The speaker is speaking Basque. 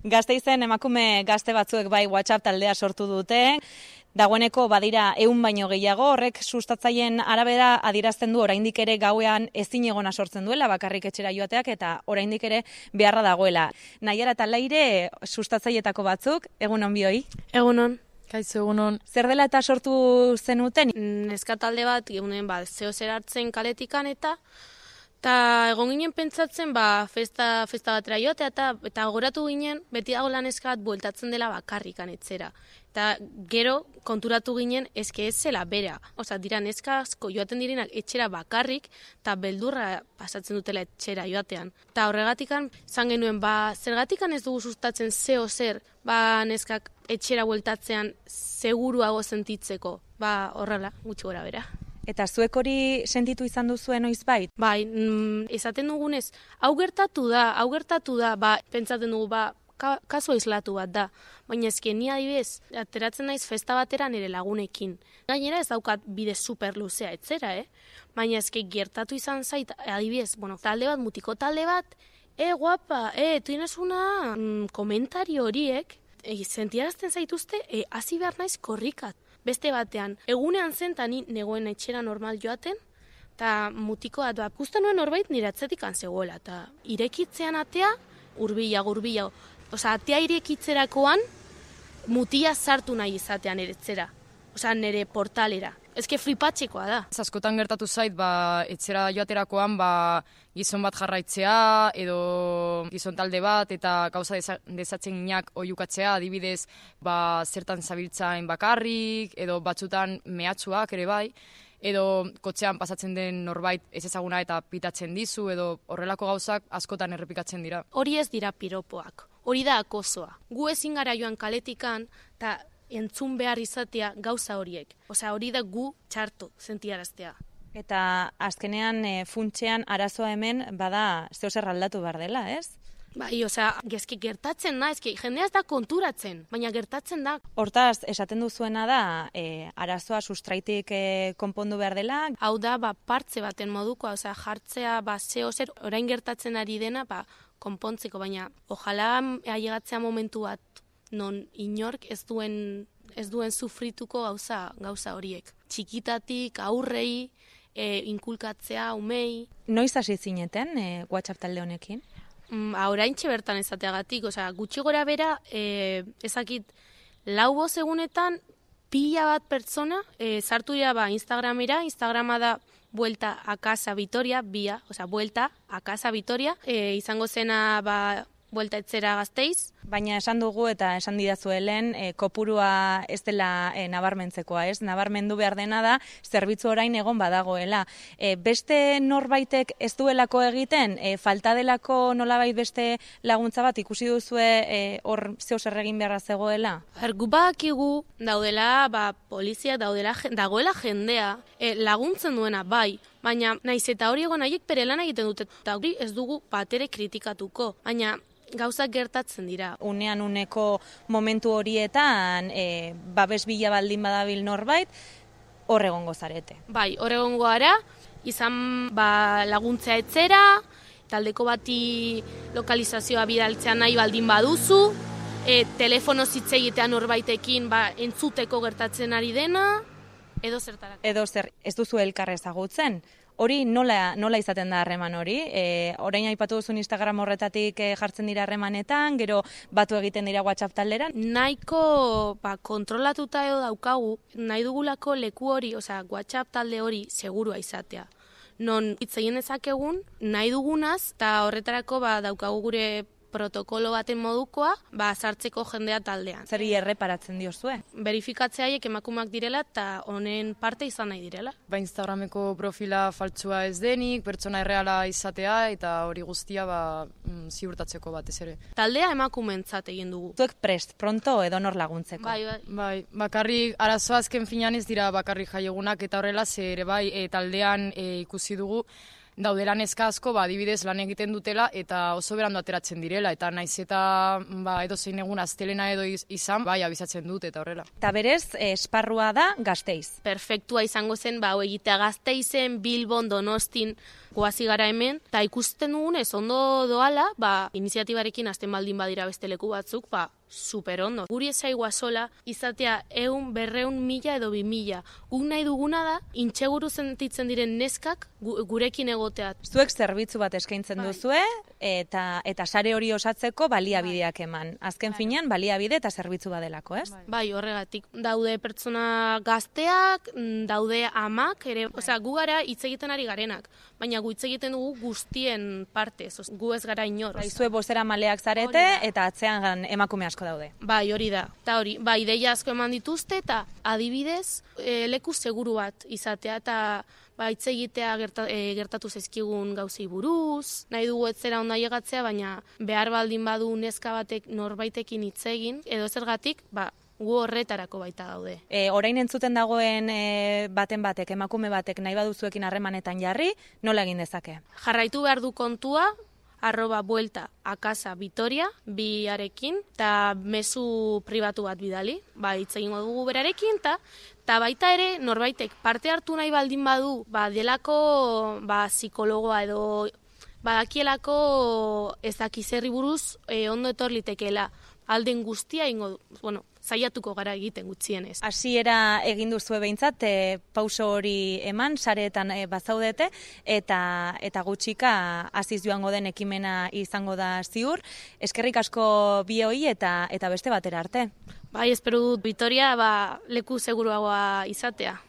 Gasteizen emakume gazte batzuek bai WhatsApp taldea sortu dute. Dagoeneko badira 100 baino gehiago, horrek sustatzaileen arabera adierazten du oraindik ere gauean ezinegona sortzen duela bakarrik etxera joateak eta oraindik ere beharra dagoela. Naiara eta Leire sustatzailetako batzuk, egun on bioi. Egunon. Kaixo, egunon. Zer dela eta sortu zenuten? Neska talde bat, egunen zeo zer hartzen kaletikan eta egon ginen pentsatzen festa batera joatea eta goratu ginen beti dago neska bat bueltatzen dela bakarrikan etzera. Eta gero konturatu ginen eske ez zela bera. Osa, dira neska asko joaten direnak etxera bakarrik eta beldurra pasatzen dutela etxera joatean. Eta horregatikan zan genuen zergatikan ez dugu sustatzen zeo zer neskak etxera bueltatzean seguruago sentitzeko. Horrela, gutxi gora bera. Eta zuek hori sentitu izan duzuen noizbait? Bai, esaten dugunez, hau gertatu da, pentsaten dugu, kasu aislatu bat da. Baina ezken ni adibidez, ateratzen naiz festa batera nire lagunekin. Gainera ez daukat bide super luzea etzera, Baina ezken gertatu izan zait, adibidez, talde bat, mutiko talde bat, guapa, tienes una komentario horiek, sentiarazten zaituzte, hasi behar naiz korrikat. Beste batean, egunean zen eta ni negoen etxera normal joaten, eta mutiko bat ikusten nuen norbait nire atzetik zegoela, eta irekitzean atea, urbila. Osa, atea irekitzerakoan, mutia sartu nahi izatean eretzera. Osa, nire portalera. Ezke flipatzekoa da. Askotan gertatu zait, etxera joaterakoan, gizon bat jarraitzea, edo gizon talde bat, eta gauza desatzen ginak oiukatzea, adibidez, zertan zabiltzain bakarrik, edo batzutan mehatxuak ere bai, edo kotxean pasatzen den norbait ez ezaguna eta pitatzen dizu, edo horrelako gauzak askotan errepikatzen dira. Hori ez dira piropoak, hori da akosoa. Gu ezin gara joan kaletikan, eta entzun behar izatea gauza horiek. Osea, hori da gu txarto sentiaraztea. Eta azkenean funtsean arazoa hemen bada zeo zer aldatu behar dela, ez? Bai, osea, gezki gertatzen da, jendea ez da konturatzen, baina gertatzen da. Hortaz, esaten duzuena da, arazoa sustraitik konpondu behar dela. Hau da, partze baten modukoa, osea, jartzea, zeo zer, orain gertatzen ari dena, konpontzeko, baina ojala ailegatzea momentu bat, non inork ez duen sufrituko gauza horiek. Txikitatik, aurrei, inkulkatzea, umei. Noiz hasi zineten WhatsApp talde honekin? Oraintxe bertan ezateagatik, osea, gutxi gora bera, ezakit, 4 egunetan pila bat pertsona, sartu dira Instagramera, Instagrama da Vuelta a Casa Vitoria, Vuelta a Casa Vitoria, izango zena Vuelta etzera Gasteiz. Baina esan dugu eta esan didazuelen kopurua ez dela nabarmentzekoa, ez? Nabarmendu behar dena da, zerbitzu orain egon badagoela. Beste norbaitek ez duelako egiten, falta delako nolabait beste laguntza bat ikusi duzue hor zeo zer egin beharra zegoela? Gu badakigu daudela, polizia dagoela jendea, laguntzen duena bai, baina naiz eta hori egon haiek bere lan egiten dute, eta hori ez dugu batere kritikatuko, baina gauzak gertatzen dira. Unean uneko momentu horietan, babes bila baldin badabil norbait, hor egongo zarete. Bai, hor egongo gara, izan laguntzea etzera, taldeko bati lokalizazioa bidaltzea nahi baldin baduzu, telefono zitzegitea norbaitekin entzuteko gertatzen ari dena, edo zertarako. Edo zer, ez duzu elkar ezagutzen. Hori nola izaten da harreman hori? Orain aipatu duzun Instagram horretatik jartzen dira harremanetan, gero batu egiten dira WhatsApp talderan? Nahiko kontrolatuta edo daukagu, nahi dugulako leku hori, osea WhatsApp talde hori segurua izatea. Non hitz egin dezakegun, nahi dugunaz, eta horretarako daukagu gure protokolo baten modukoa, sartzeko jendea taldean. Zeri erreparatzen diozue? Berifikatzea emakumeak direla eta honen parte izan nahi direla. Instagrameko profila faltsua ez denik, pertsona erreala izatea eta hori guztia ziurtatzeko batez ere. Taldea emakumeentzat egin dugu. Zuek prest, pronto edo nor laguntzeko? Bai, bakarrik arazoa azken finean ez dira bakarrik jaiegunak eta horrela ere taldean ikusi dugu daudela neska asko, adibidez lan egiten dutela eta oso berandu ateratzen direla, eta naiz eta edozein egun astelena edo izan, abisatzen dut eta horrela. Eta berez, esparrua da Gasteiz. Perfektua izango zen, hau egitea Gasteizen, Bilbon, Donostin, goazi gara hemen, eta ikusten dugunez ondo doala, iniziatibarekin hasten baldin badira beste leku batzuk, super ondo. Guri ezaigua sola, izatea 100, 200, 1000 edo 2000. Guk nahi duguna da, intxeguru sentitzen diren neskak gurekin egotea. Zuek zerbitzu bat eskaintzen duzue, eta sare hori osatzeko baliabideak eman. Azken finean, baliabide eta zerbitzu badelako, ez? Bai, horregatik. Daude pertsona gazteak, daude amak, ere, gu gara hitz egiten ari garenak, baina gu hitz egiten dugu guztien partez, gu ez gara inor. Zue bozera maleak zarete, eta atzean emakume asko daude. Bai, hori da. Eta hori, ideia asko eman dituzte, eta adibidez, leku seguru bat izatea, eta hitz egitea gertatu zaizkigun gauzei buruz, nahi dugu etzera onda llegatzea, baina behar baldin badu neska batek norbaitekin hitz egin, edo zergatik, gu horretarako baita daude. Orain entzuten dagoen baten batek, emakume batek nahi baduzuekin harremanetan jarri, nola egin dezake? Jarraitu behar du kontua, @buelta a casa Vitoria, biarekin, eta mezu pribatu bat bidali, hitz egingo dugu berarekin, eta baita ere, norbaitek parte hartu nahi baldin badu, delako psikologoa edo badakielako ez dakizerri buruz ondo etor litekeela. Alden guztia ingo, saiatuko gara egiten gutxienez. Hasiera egin duzue behintzat, pauso hori eman, sareetan bazaudete, eta gutxika hasiz joango den ekimena izango da ziur. Eskerrik asko bioi eta beste batera arte. Bai, espero dut Vitoria leku seguruagoa izatea.